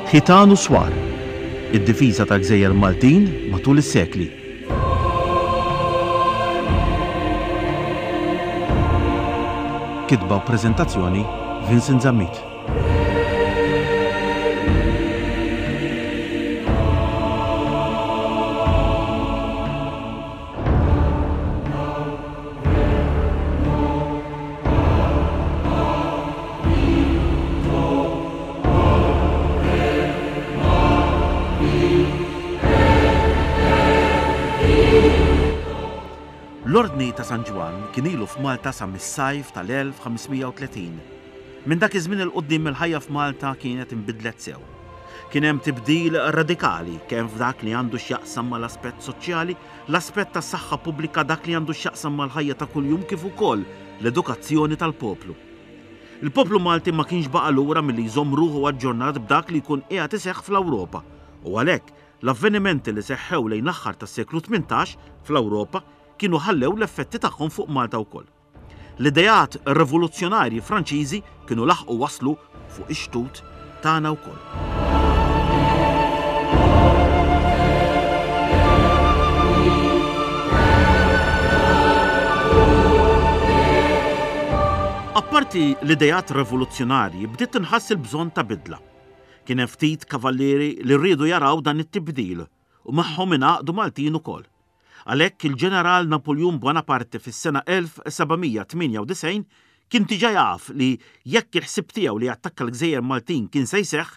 Ħitan u Swar, Id-difiża tal-gżejjer Maltin matul is-sekli. Kitba u preżentazzjoni Vincent Zammit. L-Ordni ta' San Ġwann kien ilu f'Malta sa mis-sajf tal-1530. Minn dak iż-żmien 'il quddiem il-ħajja f'Malta kienet inbidlet sew. Kien hemm tibdil radikali kemm f'dak li għandu x'jaqsam mal-aspett soċjali, l-aspett tas-saħħa pubblika, dak li għandu x'jaqsam mal-ħajja ta' kuljum kif ukoll l-edukazzjoni tal-poplu. Il-poplu Malti ma kienx baqa' lura milli jżomm ruħu aġġornat b'dak li jkun qiegħed iseħħ fl-Ewropa u għalhekk l-avvenimenti li seħħew lejn l-aħħar tas-seklu 18 fl-Ewropa kienu ħallew l-effetti tagħhom fuq Malta wkoll. L-ideat rivoluzzjonarji Franċiżi kienu laħqu waslu fuq ix-xtut tagħna wkoll. Apparti l-ideat revoluzzjonarji bdiet tinħass il-bżonn ta' bidla. Kien hemm ftit kavallieri li riedu jaraw dan it-tibdil u magħhom ingħaqdu Maltin ukoll. Għalhekk il-Ġeneral Napuljun Bonaparte fis-sena 1798 kien diġà jaf li jekk il-ħsieb tiegħu li jattakka l-gżejjer Maltin kien se jseħħ,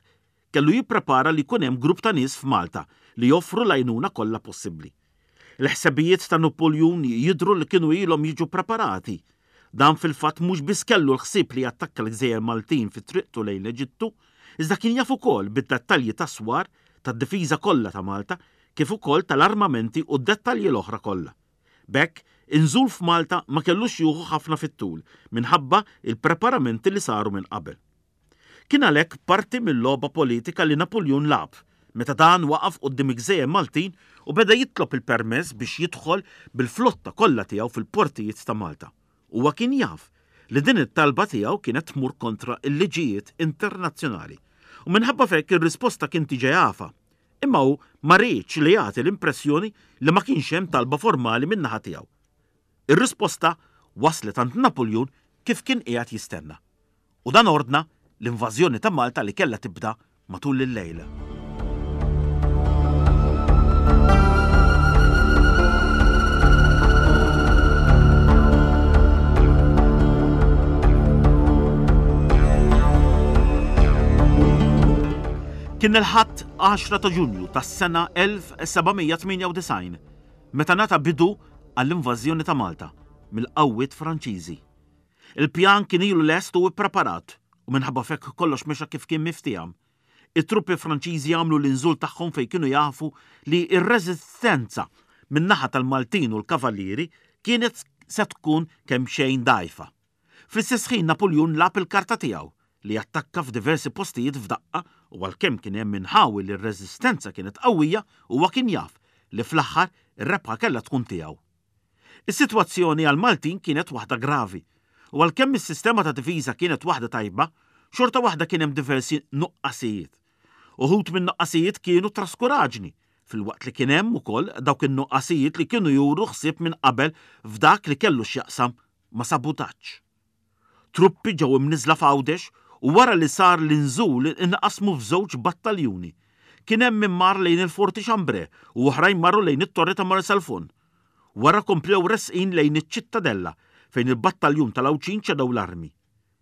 kellu jipprepara li jkun hemm grupp ta' nies f'Malta li joffru l-għajnuna kollha possibbli. Il-ħsebijiet ta' Napuljun jidhru li kienu ilhom jiġu ppreparati. Dan fil-fatt mhux biss kellu l-ħsieb li jattakka l-gżejjer Maltin fi triqtu lejn l-Eġittu, iżda kien jaf ukoll bid-dettalji tas-swar tad-difiża kollha ta' Malta kif ukoll tal-armamenti u d-dettalji l-oħra kollha. B'hekk, inżul f'Malta ma kellux jieħu ħafna fit-tul minħabba l-preparamenti li saru minn qabel. Kien għalhekk parti mil-logħba politika li Napuljun lagħab meta dan waqaf quddiem il-gżejjer Maltin u beda jitlob il-permess biex jidħol bil-flotta kollha tiegħu fil-portijiet ta' Malta. Huwa kien jaf li din it-talba tiegħu kienet tmur kontra l-liġijiet internazzjonali u minħabba f'hekk ir-risposta kien diġa jafha Imma hu ma riedx li jagħti l-impressjoni li ma kienx hemm talba formali min-naħa tiegħu. Ir-risposta waslet għand Napuljun kif kien qiegħed jistenna. U dan ordna l-invażjoni ta' Malta li kellha tibda matul il-lejl. Kien il-Ħadd 10 ta' Ġunju tas-sena 1798 meta ngħata bidu għall-invażjoni ta' Malta mill-qawwiet Franċiżi. Il-pjan kien ilu lest u ppreparat u minħabba f'hekk kollox mexa kif kien miftiehem. It-truppi Franċiżi għamlu l-inżul tagħhom fejn kienu jafu li r-reżistenza min-naħa tal-Maltin u l-Kavallieri kienet se tkun kemxejn dgħajfa. Fl-istess ħin Napuljun lagħab il-karta tiegħu li attakka f'diversi postijiet f'daqqa u għalkemm kien hemm inħawi li r-reżistenza kienet qawwija huwa kien jaf li fl-aħħar ir-rebħa kellha tkun tiegħu. Is-sitwazzjoni għall-Maltin kienet waħda gravi u għalkemm is-sistema ta' difiża kienet waħda tajba, xorta waħda kien hemm diversi nuqqasijiet. Uħud min-nuqqasijiet kienu traskuraġni, filwaqt li kien hemm ukoll dawk in-nuqqasijiet li kienu juru ħsieb minn qabel f'dak li kellu x'jaqsam ma' sabutaġġ. Truppi ġew imniżżla f'Għawdex u wara li sar l-inżul inqasmu f'żewġ battaljuni. Kien hemm min mar lejn il-Forti Chambray u oħrajn marru lejn it-Torri ta' Marsalforn. Wara komplew resqin lejn iċ-Ċittadella fejn il-battaljun tal-Għawdxin ċedew l-armi.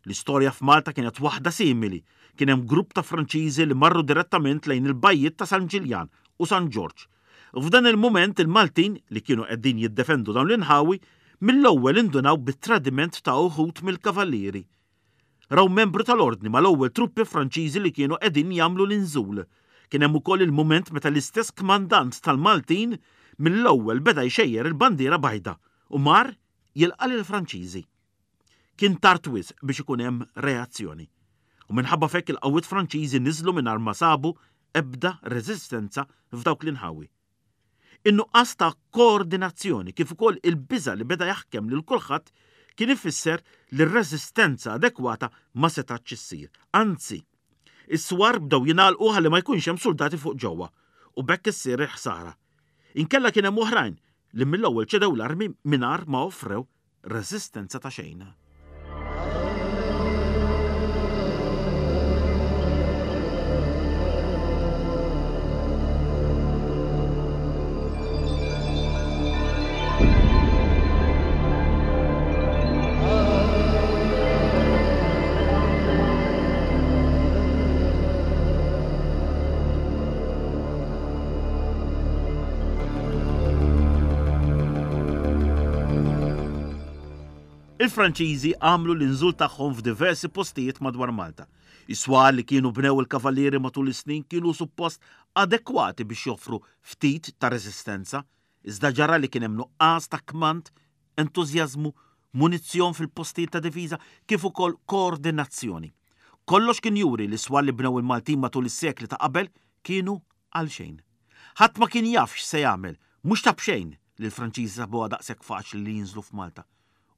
L-istorja f'Malta kienet waħda simili, kien hemm grupp ta' Franċiżi li marru direttament lejn il-bajjiet ta' San Ġiljan u San Ġorġ. F'dan il-mument il-Maltin, li kienu qegħdin jiddefendu dawn l-inħawi, mill-ewwel indunaw bit-tradiment ta' uħud mill-kavallieri. Raw membru tal-Ordni mal-ewwel truppi Franċiżi li kienu qegħdin jagħmlu l-inżul. Kien hemm ukoll il-mument meta l-istess kmandant tal-Maltin mill-ewwel beda jxejjer il-bandiera bajda u mar jilqa' lill-Franċiżi. Kien tard wisq biex ikun hemm reazzjoni. U minħabba f'hekk il-qawwiet Franċiżi niżlu mingħajr ma sabu ebda reżistenza f'dawk l-inħawi. In-nuqqas ta' koordinazzjoni kif ukoll il-biża' li beda jaħkem lil kulħadd kien ifisser li r-reżistenza adekwata ma setgħetx issir. Anzi, Is-swar bdew jingħalqu ħalli ma jkunx hemm suldati fuq ġewwa u b'hekk issir il-ħsara. Inkella kien hemm oħrajn li mill-ewwel ċedew l-armi mingħajr ma offrew reżistenza ta' xejn. Il-Franċiżi għamlu l-inżul tagħhom f'diversi postijiet madwar Malta. Is-swar li kienu bnew il-Kavallieri matul is-snin kienu suppost adekwati biex joffru ftit ta' reżistenza, iżda ġara li kien hemm nuqqas ta' kmand, entużjażmu, munizzjon fil-postijiet ta' difiża kif ukoll koordinazzjoni. Kollox kien juri li s-swar li bnew il-Maltin matul is-sekli ta' qabel kienu għalxejn. Ħadd ma kien jaf x'se jagħmel, mhux ta' b'xejn li l-Franċiżi sabuha daqshekk faċli li jinżlu f'Malta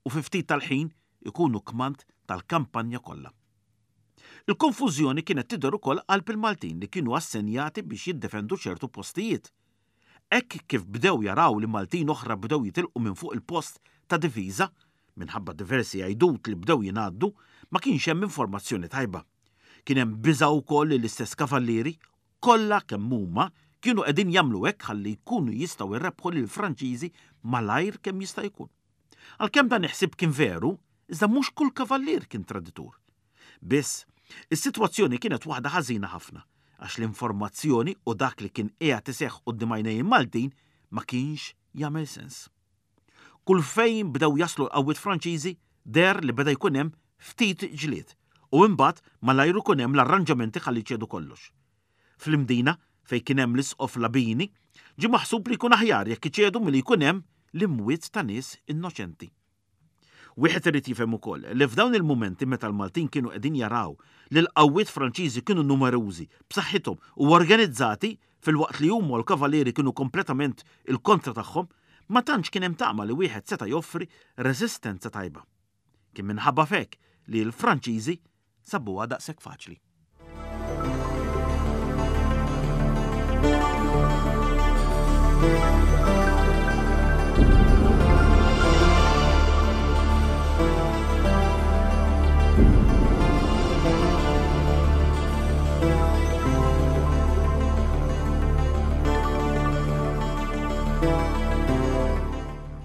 u fi ftit tal-ħin ikunu kmand tal-kampanja kollha. Il-konfużjoni kienet tidher ukoll qalb il-Maltin li kienu assenjati biex jiddefendu ċertu postijiet. Hekk kif bdew jaraw li Maltin oħra bdew jitilqu minn fuq il-post ta' difiża, minħabba diversi għidut li bdew jingħaddu, ma kienx hemm informazzjoni tajba. Kien hemm biża' wkoll li l-istess kavallieri, kollha kemm huma, kienu qegħdin jagħmlu hekk ħalli jkunu jistgħu jrebbħu lill-Franċiżi malajr kemm jista' jkun. Għalkemm dan il-ħsieb kien veru, iżda mhux kull kavallier kien traditur. Biss, is-sitwazzjoni kienet waħda ħażina ħafna, għax l-informazzjoni u dak li kien qiegħed iseħħ quddiem għajnejn il-Maltin ma kienx jagħmel sens. Kull fejn bdew jaslu l-qawwiet Franċiżi deher li beda jkun hemm ftit ġlied u imbagħad malajr ikun hemm l-arranġamenti ħalli jċedu kollox. Fl-Imdina, fejn kien hemm l-Isqof Labini, ġie maħsub li jkun aħjar jekk iċedu milli jkun hemm l-imwiet ta' nies innoċenti. Wieħed irid jifhem ukoll li f'dawn il-mumenti meta l-Maltin kienu qegħdin jaraw li l-qawwiet Franċiżi kienu numerużi, b'saħħithom u organizzati filwaqt li huma u l-Kavalieri kienu kompletament il-kontra tagħhom, ma tantx kien hemm tama li wieħed seta' joffri reżistenza tajba. Kien minħabba f'hekk li l-Franċiżi sabuha daqshekk faċli.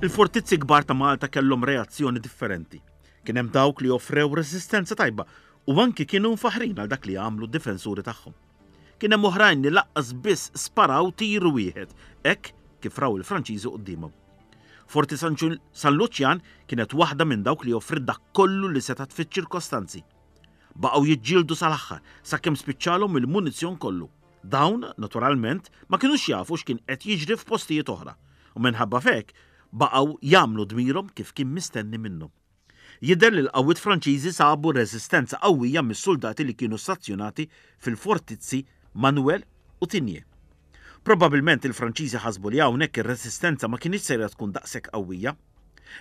Il-fortizzi kbar ta' Malta kellhom reazzjoni differenti. Kien hemm dawk li offrew reżistenza tajba u anki kienu mfaħħrin għal dak li għamlu d-difensuri tagħhom. Kien hemm oħrajn li laqqas biss sparaw tir wieħed hekk kif raw il-Franċiżi quddiemhom. Forti San Luċjan kienet waħda minn dawk li offriet dak kollu li setgħet fiċ-ċirkostanzi. Baqgħu jiġġieldu sal-aħħar sakemm spiċċalhom il-munizzjon kollu. Dawn, naturalment, ma kinux jafu x'kien qed jiġri f'postijiet oħra u minħabba f'hekk baqgħu jagħmlu dmirhom kif kien mistenni minnhom. Jidher li l-qawwiet Franċiżi sabu reżistenza qawwija mis-suldati li kienu stazzjonati fil-fortizzi Manuel u Tigné. Probabbilment il-Franċiżi ħasbu li hawnhekk ir-reżistenza ma kinitx sejra tkun daqshekk qawwija.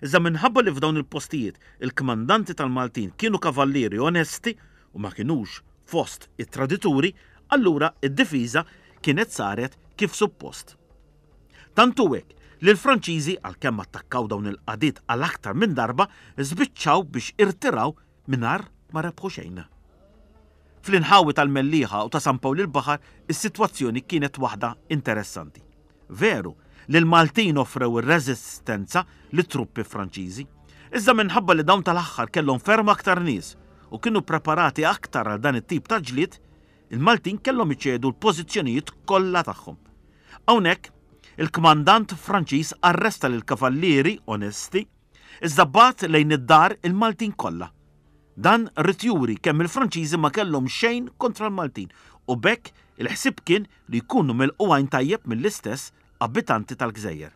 Iżda minħabba li f'dawn il-postijiet il-kmandanti tal-Maltin kienu kavallieri onesti u ma kinux fost it-tradituri, allura d-difiża kienet saret kif suppost. Tant hu hekk li l-Franċiżi, għalkemm attakkaw dawn il-qagħdiet għal aktar minn darba, żbiċċaw biex irtiraw mingħajr ma rebħu xejn. Fl-inħawi tal-Mellieħa u ta' San Pawl il-Baħar is-sitwazzjoni kienet waħda interessanti. Veru li l-Maltin offrew ir-reżistenza lit-truppi Franċiżi, iżda minħabba li dawn tal-aħħar kellhom ferm aktar nies u kienu ppreparati aktar għal dan it-tip ta' ġlied, il-Maltin kellhom iċedu l-pożizzjonijiet kollha tagħhom. Hawnhekk, il-kmandant Franċiż arresta lill-kavallieri onesti, iżda bagħat lejn id-dar il-Maltin kollha. Dan ried juri kemm il-Franċiżi ma kellhom xejn kontra l-Maltin u b'hekk il-ħsieb kien li jkunu milqugħin tajjeb mill-istess abitanti tal-gżejjer.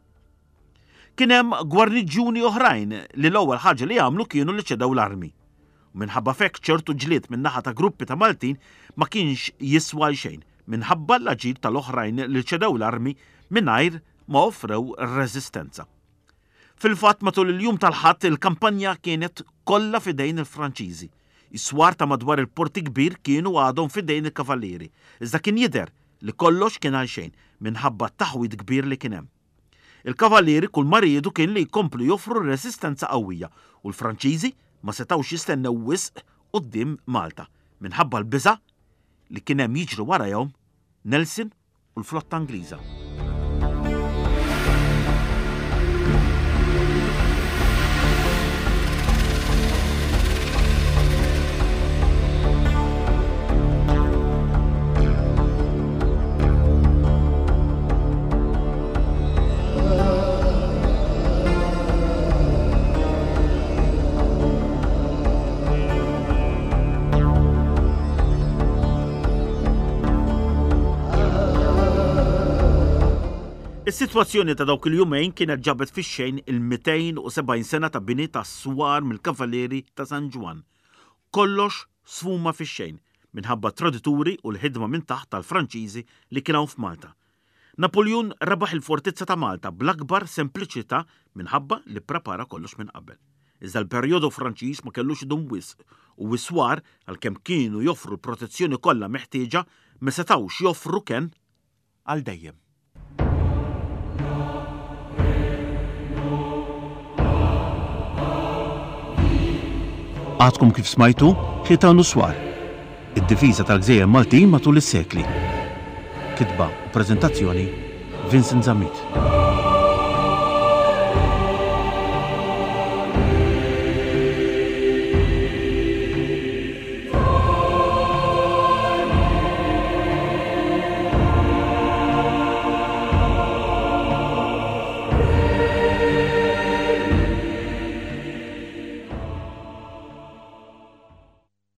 Kien hemm gwarniġġjuni oħrajn li l-ewwel ħaġa li għamlu kienu li ċedew l-armi. U minħabba f'hekk ċertu ġlied min-naħa ta' gruppi ta' Maltin ma kienx jiswa għal xejn minħabba l-aġir tal-oħrajn li ċedew l-armi mingħajr ma offrew reżistenza. Fil-fatt matul il-jum tal-Ħadd il-kampanja kienet kollha f'idejn il-Franċiżi. Is-swar ta' madwar il-Port il-Kbir kienu għadhom f'idejn il-Kavallieri, iżda kien jidher li kollox kien għalxejn minħabba t-taħwid kbir li kien hemm. Il-Kavallieri kull ma riedu kien li jkomplu joffru resistenza qawwija u l-Franċiżi ma setgħux jistennew wisq quddiem Malta minħabba l-biża' li kien hemm jiġri warajhom Nelson u l-flotta Ingliża. Is-sitwazzjoni ta' dawk il-jumejn kienet ġabet fix-xejn il-270 sena ta' bini ta' swar mill-Kavalieri ta' San Ġwann. Kollox sfuma fix-xejn minħabba t-tradituri u l-ħidma minn taħt tal-Franċiżi li kien hawn f'Malta. Napuljun rebaħ il-fortizza ta' Malta bl-akbar sempliċità minħabba li pprepara kollox minn qabel. Iżda l-perjodu Franċiż ma kellux idum wisq u s-swar, għalkemm kienu joffru l-protezzjoni kollha meħtieġa, ma setgħux joffru kenn għal dejjem. Għadkom kif smajtu Ħitan u Swar, id-difiża tal-gżejjer Maltin matul is-sekli. Kitba u preżentazzjoni Vincent Zammit.